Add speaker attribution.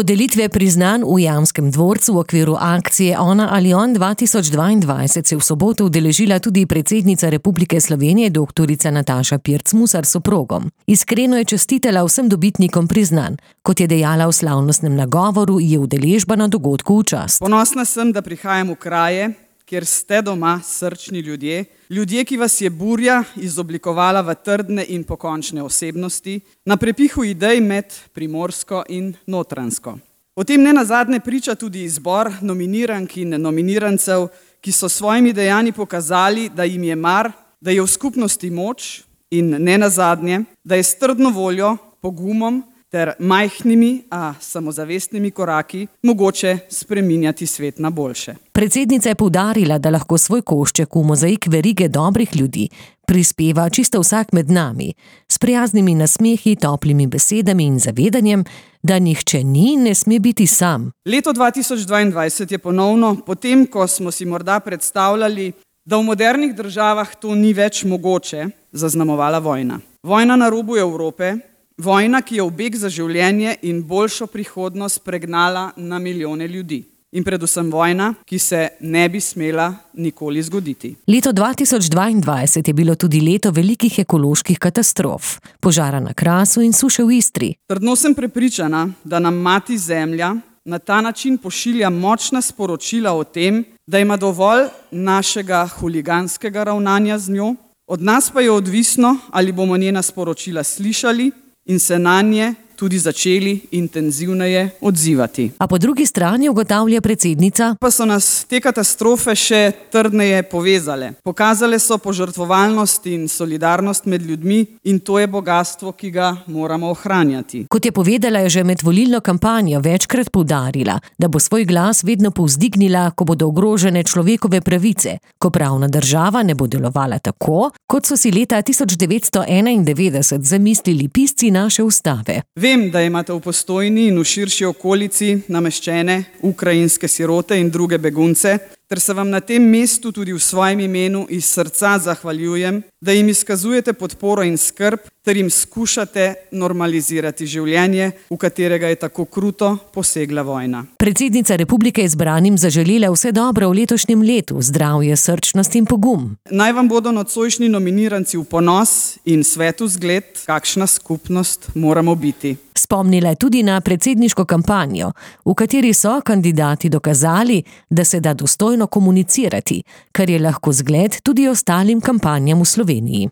Speaker 1: Podelitve priznanj v Jamskem dvorcu v okviru akcije Ona ali on 2022 se v soboto udeležila tudi predsednica Republike Slovenije dr. Nataša Pirc Musar s soprogom. Iskreno je čestitala vsem dobitnikom priznanj. Kot je dejala v slavnostnem nagovoru, je udeležba na dogodku v čast.
Speaker 2: Ponosna sem, da prihajam v kraje, kjer ste doma srčni ljudje, ki vas je burja izoblikovala v trdne in pokončne osebnosti, na prepihu idej med Primorsko in Notranjsko. O tem nenazadnje priča tudi izbor nominirank in nominirancev, ki so svojimi dejanji pokazali, da jim je mar, da je v skupnosti moč in nenazadnje, da je s trdno voljo, pogumom ter majhnimi, a samozavestnimi koraki mogoče spreminjati svet na boljše.
Speaker 1: Predsednica je poudarila, da lahko svoj košček v mozaik verige dobrih ljudi prispeva čisto vsak med nami, s prijaznimi nasmehi, toplimi besedami in zavedanjem, da nihče ni in ne sme biti sam.
Speaker 2: Leto 2022 je ponovno, potem ko smo si morda predstavljali, da v modernih državah to ni več mogoče, zaznamovala vojna. Vojna na robu Evrope, vojna, ki je v beg za življenje in boljšo prihodnost pregnala na milijone ljudi. In predvsem vojna, ki se ne bi smela nikoli zgoditi.
Speaker 1: Leto 2022 je bilo tudi leto velikih ekoloških katastrof, požara na Krasu in suše v Istri.
Speaker 2: Trdno sem prepričana, da nam mati Zemlja na ta način pošilja močna sporočila o tem, da ima dovolj našega huliganskega ravnanja z njo, od nas pa je odvisno, ali bomo njena sporočila slišali in se nanje tudi začeli intenzivneje odzivati.
Speaker 1: A po drugi strani ugotavlja predsednica,
Speaker 2: pa so nas te katastrofe še trdneje povezale. Pokazale so požrtvovalnost in solidarnost med ljudmi in to je bogastvo, ki ga moramo ohranjati.
Speaker 1: Kot je povedala, je že med volilno kampanjo večkrat poudarila, da bo svoj glas vedno povzdignila, ko bodo ogrožene človekove pravice, ko pravna država ne bo delovala tako, kot so si leta 1991 zamislili pisci naše ustave.
Speaker 2: Vem, da imate v Postojni in v širši okolici nameščene ukrajinske sirote in druge begunce, ter se vam na tem mestu tudi v svojem imenu iz srca zahvaljujem, da jim izkazujete podporo in skrb, ter jim skušate normalizirati življenje, v katerega je tako kruto posegla vojna.
Speaker 1: Predsednica republike je zbranim zaželela vse dobro v letošnjem letu, zdravje, srčnost in pogum.
Speaker 2: Naj vam bodo nocojšnji nominiranci v ponos in svetu zgled, kakšna skupnost moramo biti.
Speaker 1: Spomnila je tudi na predsedniško kampanjo, v kateri so kandidati dokazali, da se da dostojno komunicirati, kar je lahko zgled tudi ostalim kampanjam v Sloveniji.